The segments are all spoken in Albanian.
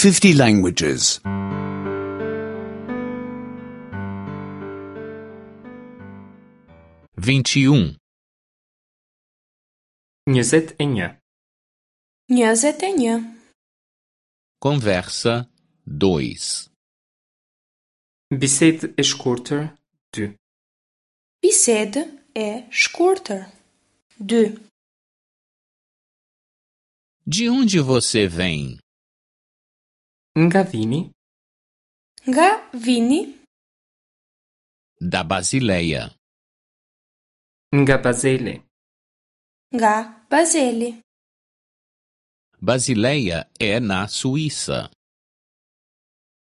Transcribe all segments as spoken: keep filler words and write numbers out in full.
fifty languages. vinte e um, Njëzet e një. Njëzet e një. Conversa dois. Bisedë e shkurtër dy. Bisedë e shkurtër. Dy. De onde você vem? Nga vini? Nga vini? Da Basileia. Nga Bazeli. Nga Bazeli. Basileia é na Suíça.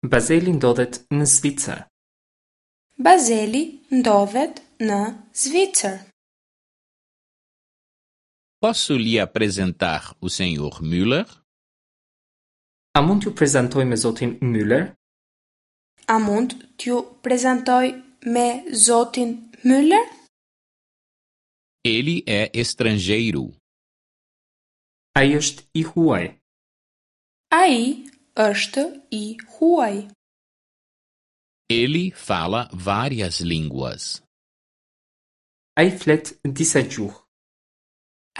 Bazeli ndodhet në Zvicër. Bazeli ndodhet në Zvicër. Posso lhe apresentar o senhor Müller? A mund t'ju prezantoj me zotin Müller? A mund t'ju prezantoj me zotin Müller? Ele é estrangeiro. Ai është i huaj. Ai është i huaj. Ele fala várias línguas. Ai flet disa gjuhë.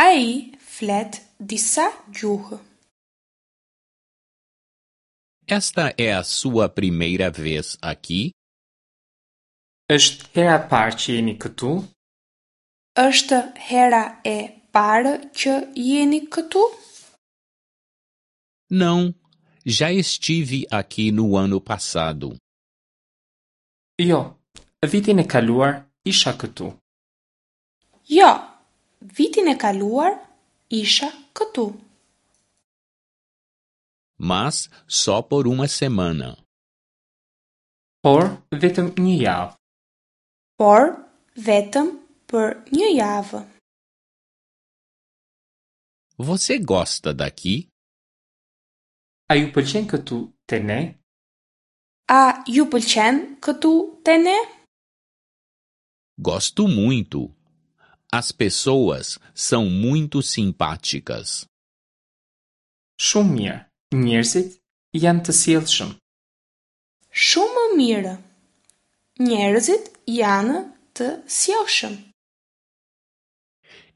Ai flet disa gjuhë. Esta é a sua primeira vez aqui? Është hera e parë që jeni këtu? Është hera e parë që jeni këtu? Não, já estive aqui no ano passado. Jo, vitin e kaluar isha këtu. Jo, vitin e kaluar isha këtu. Mas só por uma semana. Por vetëm një javë. Por vetëm për një javë. Você gosta daqui? A ju pëlqen këtu te ne? A ju pëlqen këtu te ne? Gosto muito. As pessoas são muito simpáticas. Shumë mirë. Njerëzit janë të sjellshëm. Shumë mirë. Njerëzit janë të sjellshëm.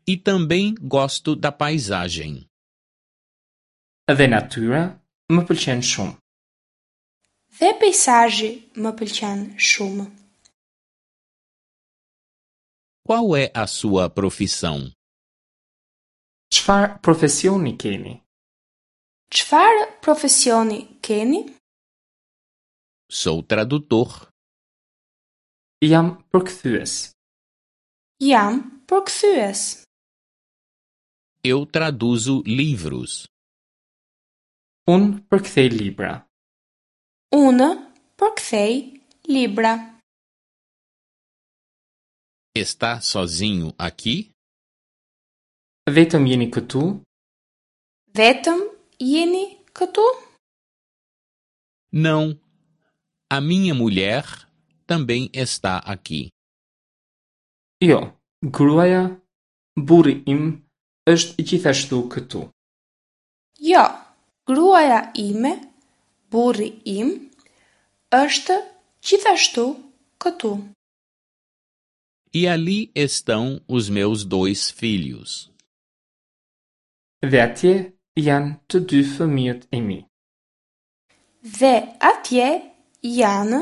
E também gosto da paisagem. Dhe natyra më pëlqen shumë. Dhe peizazhi më pëlqen shumë. Qual é a sua profissão? Çfarë profesioni keni? Çfarë profesioni keni? Sou tradutor. Jam përkthyes. Jam përkthyes. Eu traduzo livros. Unë përkthej libra. Unë përkthej libra. Está sozinho aqui? Vetëm jeni këtu? Vetëm jeni këtu? Não. A minha mulher também está aqui. Jo, gruaja, burri im është gjithashtu këtu. Jo, gruaja ime, burri im, është gjithashtu këtu. E ali estão os meus dois filhos. Dhe atje janë të dy fëmijët e mi. Dhe atje janë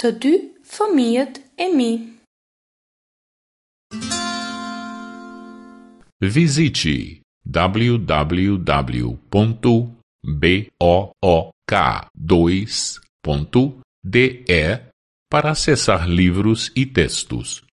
të dy fëmijët e mi. Visite w w w ponto b o o k dois ponto d e para acessar livros e textos.